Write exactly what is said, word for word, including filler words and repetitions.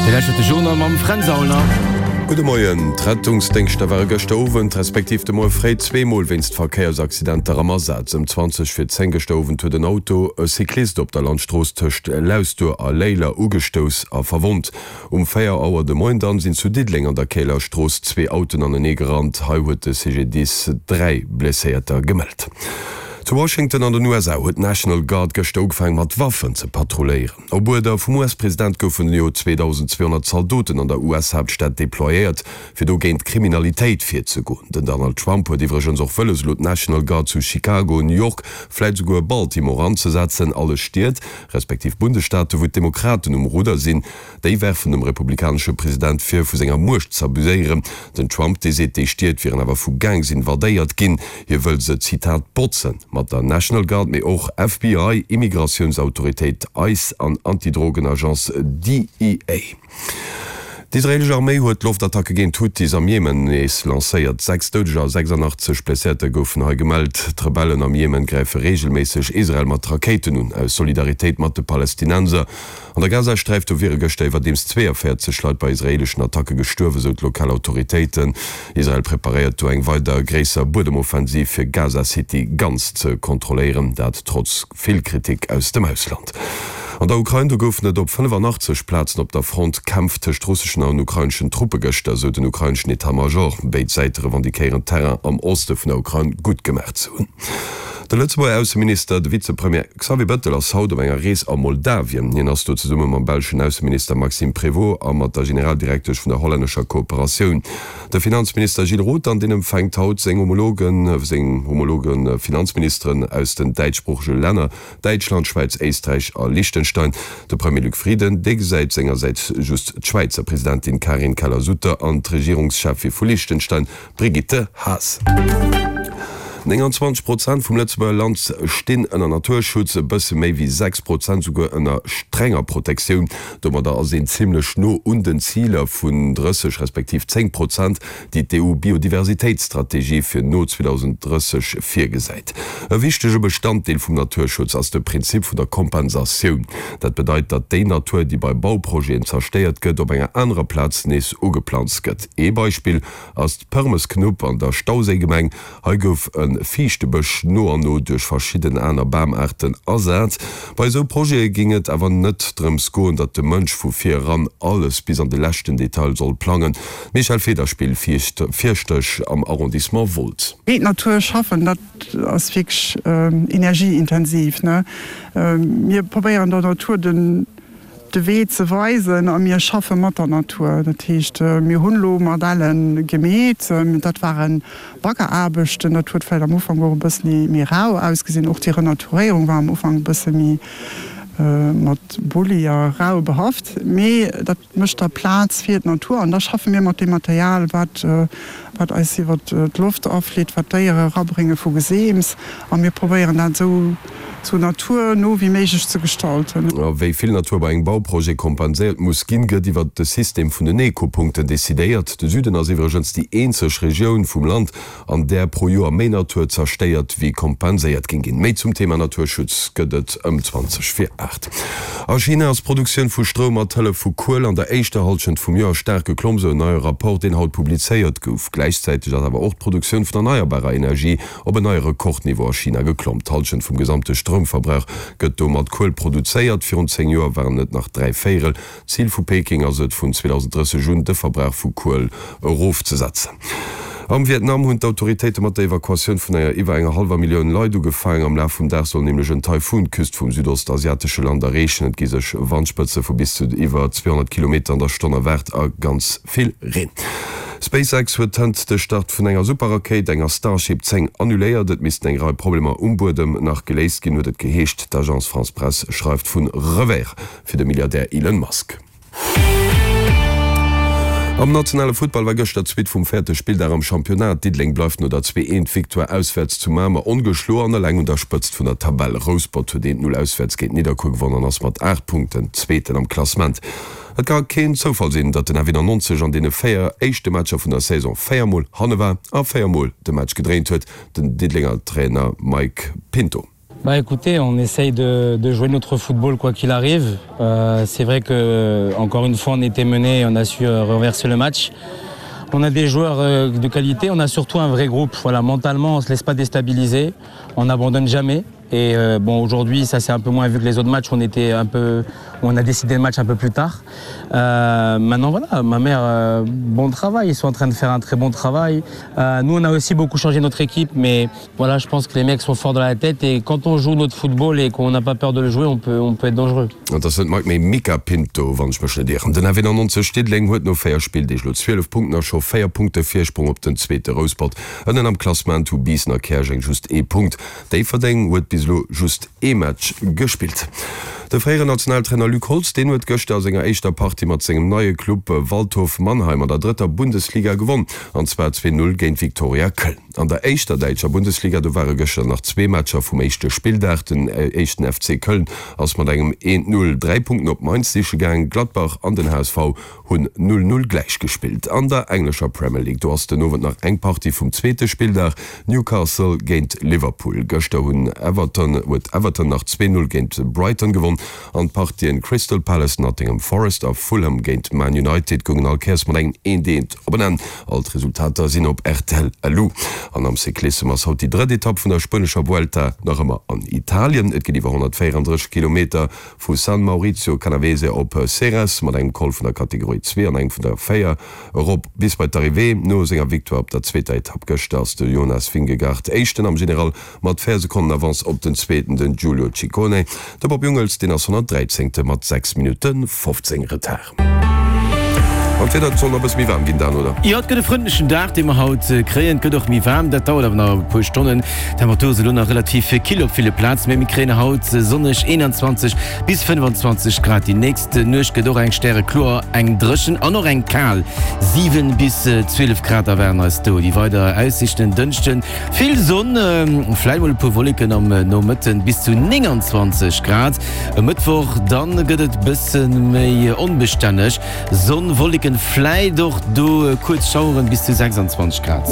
Dir lauschtert de Journal mam Fränz Aulner. Gudde Moien. D'Rettungsdéngschter ware gëschter Owend, respektiv de Moie fréi zwee Mol wéinst Verkéiersaccidenter am Asaz. Ëm zwanzeg vir zéng gëschter Owend huet en Auto e Cyclist op der Landstrooss tëscht Lausduer a Léiler ugestouss a verwonnt. Um véier Auer de Moien dann sinn zu Diddeleng an der Käler Strooss zwee Autoen anenee gerannt. Hei huet de C G D I S dräi Blesséierter gemellt. Zu Washington an den U S A huet d'National Guard gëschter ugefaangen mat Waffen ze patrulléieren. Op Uerder vum U S-President goufen jo zweedausendzweehonnert Zaldoten an der U S-Haaptstad deployéiert, fir do géint d'Kriminalitéit virzegoen. Den Donald Trump huet iwwregens och wëlles, elo d'National Guard zu Chicago, New York, vläit souguer Baltimore anzesetzen, alles Stied, respektiv Bundesstaaten, wou d'Demokraten um Rudder sinn. Déi werfen dem republikanesche President vir, vu senger Muecht z'abuséieren. Den Trump, dee seet, déi Stied wieren awer vu Gangs invadéiert ginn. Hie wëll se, Zitat, botzen mat der National Guard, mee och F B I, Immigratiounsautoritéit ICE an Antidrogenagence D E A. D'israeelesch Arméi huet Loftattacke géint d'Huthis am Jemen nees lancéiert. Sechs Doudeger a sechsandachtzeg Blesséierter goufen hei gemellt. D'Rebellen am Jemen gräife reegelméisseg Israel mat Rakéiten un, aus Solidaritéit mat de Palästinenser. An der Gazasträif do wiere gëschter iwwerdeems zweeënvéierzeg Leit bei israeeleschen Attacke gestuerwen, sou d'lokal Autoritéiten. Israel preparéiert do eng weider gréisser Buedemoffensiv, fir Gaza-City ganz ze kontrolléieren, dat trotz vill Kritik aus dem Ausland. An der Ukrain do goufen et op fënnefanachtzeeg Plazen op der Front Kämpf tëscht russeschen an ukraineschen Truppe gëschter, sou den ukraineschen Etat-Major. Béid Säite revendiquéieren, Terrain am Oste vun der Ukrain gutt gemaach ze hunn. De Lëtzebuerger Ausseminister, de Vizepremier Xavier Bettel ass haut op enger Rees a Moldawien. Hien ass do zesumme mam belschen Ausseminister Maxime Prévot a mat der Generaldirektesch vun der hollännescher Kooperatioun. De Finanzminister Gilles Roth an deen empfänkt haut seng Homologen, seng homologe Finanzministeren aus den däitschsproochege Länner, Däitschland, Schwäiz, Éisträich a Liechtenstein. De Premier Luc Frieden, dee gesäit sengersäits just d'Schwäizer Presidentin Karin Keller-Sutter an d'Regierungscheffin vu Liechtenstein, Brigitte Haas. nénganzwanzeg Prozent vum Lëtzebuerger Land stinn ënner Naturschutz, e bësse méi wéi sechs Prozent souguer ënner strenger Protektioun. Domadder ass een zimlech no un den Ziler vun drësseg respektiv zéng Prozent, déi d'E U-Biodiversitéitsstrategie fir no zweedausenddrësseg virgesäit. E wichtege Bestanddeel vum Naturschutz ass de Prinzip vun der Kompensatioun. Dat bedeit, datt déi Natur, déi bei Bauprojeten zerstéiert gëtt, op enger anerer Plaz nees ugeplanzt gëtt. Ee Beispill ass d'Përmesknupp an der Stauséigemeng. Hei gouf e Fiichtebësch no an no duerch verschidden aner Bamaarten ersat. Bei esou Projete géing et awer net drëms goen, datt de Mënsch vu vir eran alles bis an de leschten Detail soll plangen. D'Michèle Federspiel, Fierschtesch am Arrondissement Wolz. Géint d'Natur schaffen, dat ass wierklech energieintensiv, ne? Mir probéieren der Natur den de Wee ze weisen a mir schaffe mat der Natur. Dat heescht, mir hunn elo Modelle gemeet, dat ware Baggeraarbechten, dat huet vläicht am Ufank och e bëssen méi rau ausgesinn. Och déi Renaturéierung war am Ufank e bësse méi mat Bulli a rau behaft. Mee dat mécht da Plaz fir d'Natur an da schaffe mir mat deem Material, wat wat eis iwwer d'Loft aflitt, wat d'Déiere erabrénge vu Geseems a mir probéieren dat esou sou naturno wéi méiglech ze gestalten. A wéi vill Natur bei engem Bauprojet kompenséiert muss ginn, gëtt iwwer de System vun den Ekopunkten decidéiert. De Süden ass iwwregens déi eenzeg Regioun vum Land, an där pro Joer méi Natur zerstéiert wéi kompenséiert géing ginn. Méi zum Thema Naturschutz gëtt et ëm zwanzeg vir aacht. A China ass d'Produktioun vu Stroum mat Hëllef vu Kuel an der éischter Hallschent vum Joer staark geklomm, sou en neie Rapport, deen haut publizéiert gouf. Gläichzäiteg ass awer och d'Produktioun vun erneierbarer Energie op en neie Rekordniveau a China geklomm. D'Hallschent vum gesamte Stroumverbrauch gëtt do mat Kuel produzéiert. Virun zéng Joer waren et nach dräi Véierel. Zil vu Peking ass et, vun zweedausendrësseg un de Verbrauch vu Kuel erofzesetzen. Am Vietnam hunn d'Autoritéite mat der Evakuatioun vun enger iwwer enger hallwer Millioun Leit ugefaangen. Am Laf vum Dag soll nämlech en Taifun d'Küst vum südostasiatesche Land erreechen. Et gi sech Wandspëtze vu bis zu iwwer zweehonnert Kilometer an der Stonn erwaart a ganz vill Reen. SpaceX huet hënt de Start vun enger Superrakéit, enger Starship zéng, annuléiert. Et missten eng Rei Problemer um Buedem nach geléist ginn, huet et geheescht. D'Agence France-Presse schreift vu Revers fir de Milliardär Elon Musk. Am nationale Futtball war gëschter d'Suite vum véierte Spilldag am Championnat. Diddeleng bleift no der zwee eent Victoire auswäerts zu Mamer ongeschloen an eleng un der Spëtzt vun der Tabell. Rouspert huet eent null auswäerts géint Nidderkuer gewonnen an ass mat aacht Punkten Zweeten am Klassement. Et ka keen Zoufall sinn, datt den F nonnenaanzeg an deene véier éischte Matcher vun der Saison véier Mol hanne war a véier Mol de Match gedréint huet, den Diddelenger Trainer Mike Pinto. Bah écoutez, on essaye de, de jouer notre football quoi qu'il arrive. Euh, c'est vrai que encore une fois on était mené et on a su euh, renverser le match. On a des joueurs euh, de qualité, on a surtout un vrai groupe. Voilà, mentalement, on se laisse pas déstabiliser, on n'abandonne jamais. Et euh, bon aujourd'hui ça c'est un peu moins vu que les autres matchs on était un peu on a décidé le match un peu plus tard. Euh, maintenant voilà ma mère euh, bon travail ils sont en train de faire un très bon travail. Euh, nous on a aussi beaucoup changé notre équipe mais voilà je pense que les mecs sont forts dans la tête et quand on joue notre football et qu'on n'a pas peur de le jouer on peut on peut être dangereux. An dat ass net Mike mee Mica Pinto, wann ech mech net ieren. Den F eenannonzeg Diddeleng huet no véier Spilldeeg elo zwielef Punkten a scho véier Punkte Virsprong op den zweete Rouspert. Ënnen am Klassement hu Biissen a Käerjeng just ee Punkt. Déifferdeng huet bis elo just ee Match gespillt. De fréieren Nationaltrainer Luc Holtz, deen huet gëschter a senger éischter Partie mat sengem neie Club Waldhof Mannheim an der drëtter Bundesliga gewonn, an zwar zwee Null géint Viktoria Köln. An der éischter däitscher Bundesliga, do ware gëschter nach zwee Matcher vum éischte Spilldag. Den éischten F C Köln ass mat engem eent Null dräi Punkten op Mainz siche gaang. Gladbach an den H S V hunn null Null gläich gespillt. An der englescher Premier League, do ass den Owend nach eng Partie vum zweete Spilldag, Newcastle géint Liverpool. Gëschter hunn Everton huet Everton nach zwee Null géint Brighton gewonn an d'Partien Crystal Palace, Nottingham Forest a Fulham géint Man United goungen all Kéiers mat engem eent eent op en Enn. All d'Resultater sinn op rtl Lu. An am Cyclissem ass haut déi drëtt Etapp vun der spuenescher Vuelta nach ëmmer an Italien. Et geet iwwer honnertvéierandrësseg Kilometer vu San Maurizio Canavese op Ceres mat engem Col vun der Kategorie zwee an engem vun der véier erop bis bei d'Arrivée. No senger Victoire op der zweeter Etapp gëschter ass de Jonas Vingegaard Éischten am General mat véier Sekonnen Avance op den Zweeten, den Giulio Ciccone. De Bob Jungels, deen ass honnertdräizéngte mat sechs Minutte fofzéng Retard. An d'Wieder, et soll nach e bësse méi waarm ginn dan, oder? Jo, et gëtt e frëndlechen Dag, dee mer haut kréien. Et gëtt och méi waarm, dat dauert awer nach e puer Stonnen. D'Temperature si lo nach relativ kill op ville Plazen, mee mir kréien haut sonneg eenanzwanzeg bis fënnfanzwanzeg Grad. Déi nächst Nuecht gëtt och eng stärekloer, eng dréchen an och eng kal. Siwen bis zwielef Grad erwaarden eis do. Déi weider Aussiichten, Dënschden vill Sonn, vläit mol e puer Wolleken am Nomëtten, bis zu nénganzwanzeg Grad. E Mëttwoch dann gëtt et bësse méi onbestänneg, Sonn, Wolleken, vläit och do kuerz Schaueren, bis zu sechsanzwanzeg Grad.